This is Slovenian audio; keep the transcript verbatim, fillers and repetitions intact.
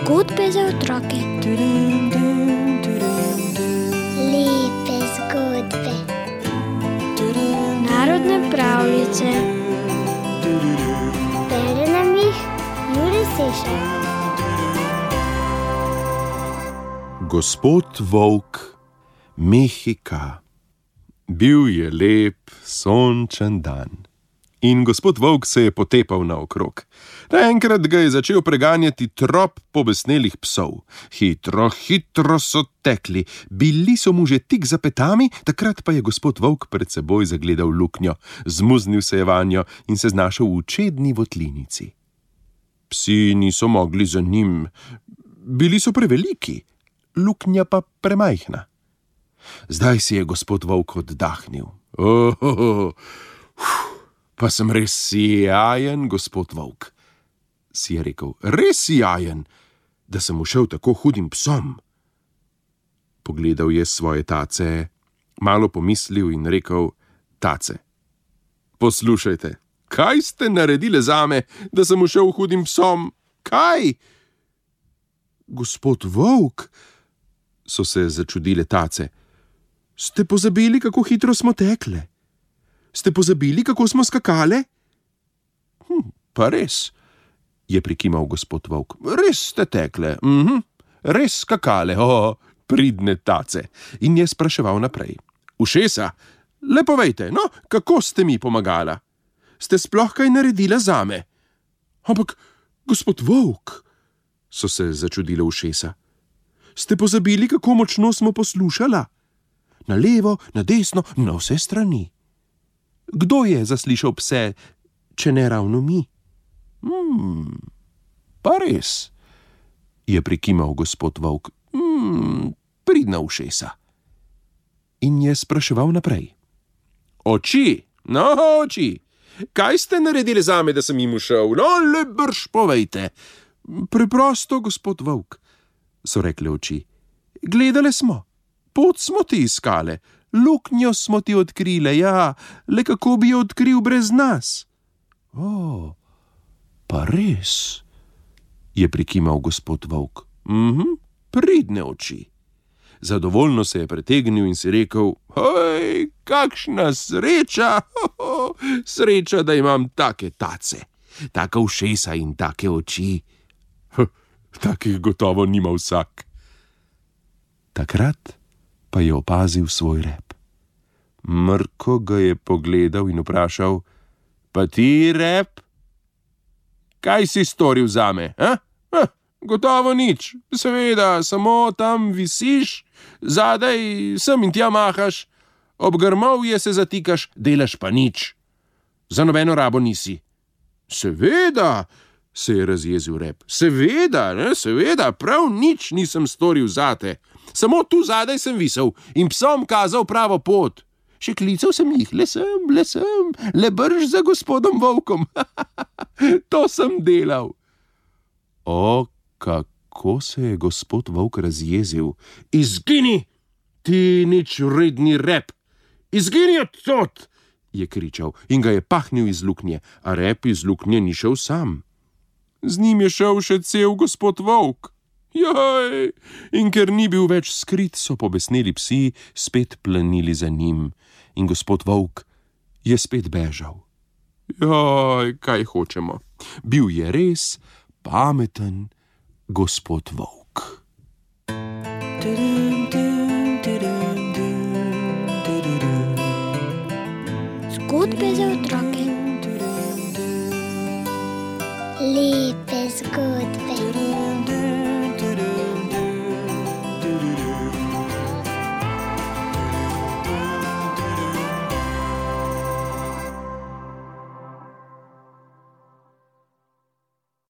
Zgodbe za otroke. Lepe zgodbe. Narodne pravljice. Bere nam jih Jure Sešar. Gospod Volk Mehika. Bil je lep, sončen dan. In gospod Volk se je potepal naokrog. Naenkrat ga je začel preganjati trop pobesnelih psov. Hitro, hitro so tekli. Bili so mu že tik za petami, takrat pa je gospod Volk pred seboj zagledal luknjo. Zmuznil se je vanjo in se znašel v čedni votlinici. Psi niso mogli za njim. Bili so preveliki, luknja pa premajhna. Zdaj si je gospod Volk oddahnil. Oh, oh, oh. Pa sem res sijajen, gospod Volk, si je rekel, res sijajen, da sem ušel tako hudim psom. Pogledal je svoje tace, malo pomislil in rekel, tace, poslušajte, kaj ste naredile zame, da sem ušel hudim psom? Kaj? Gospod Volk, so se začudile tace, ste pozabili, kako hitro smo tekle? Ste pozabili, kako smo skakale? Hm, pa res, je prikimal gospod Volk. Res ste tekle, mhm, res skakale, o, pridne tace. In je spraševal naprej. Ušesa, le povejte, no, kako ste mi pomagala? Ste sploh kaj naredila zame? Ampak, gospod Volk, so se začudile ušesa. Ste pozabili, kako močno smo poslušala? Na levo, na desno, na vse strani. Kdo je zaslišal pse, če ne ravno mi? Hmm, pa res, je prikimal gospod Volk. Hmm, pridna ušesa. In je spraševal naprej. Oči, no oči, kaj ste naredili zame, da sem jim ušel? No, le brž povejte. Preprosto, gospod Volk, so rekle oči. Gledale smo, pot smo ti iskale. Luknjo smo ti odkrile, ja, le kako bi jo odkril brez nas? O, pa res, je prikimal gospod Volk. Mhm, pridne oči. Zadovoljno se je pretegnil in si rekel, hoj, kakšna sreča, ho, ho, sreča, da imam take tace, taka ušesa in take oči. Huh, takih gotovo nima vsak. Takrat pa je opazil svoj rep. Mrko ga je pogledal in vprašal, pa ti, rep, kaj si storil zame? Eh? Eh, gotovo nič, seveda, samo tam visiš, zadaj sem in tja mahaš, ob grmovje se zatikaš, delaš pa nič. Za nobeno rabo nisi. Seveda, se je razjezil rep, seveda, ne, seveda, prav nič nisem storil zate. Samo tu zadaj sem visel in psom kazal pravo pot. Še klical sem jih, le sem, le sem, le brž za gospodom Volkom. To sem delal. O, kako se je gospod Volk razjezil. Izgini, ti nič vredni rep. Izgini odtod, je kričal in ga je pahnil iz luknje, a rep iz luknje ni šel sam. Z njim je šel še cel gospod Volk. Joj, in ker ni bil več skrit, so pobesneli psi spet planili za njim in gospod Volk je spet bežal. Joj, kaj hočemo, bil je res pameten gospod Volk. Zgodbe za otroke. Lepe zgodbe.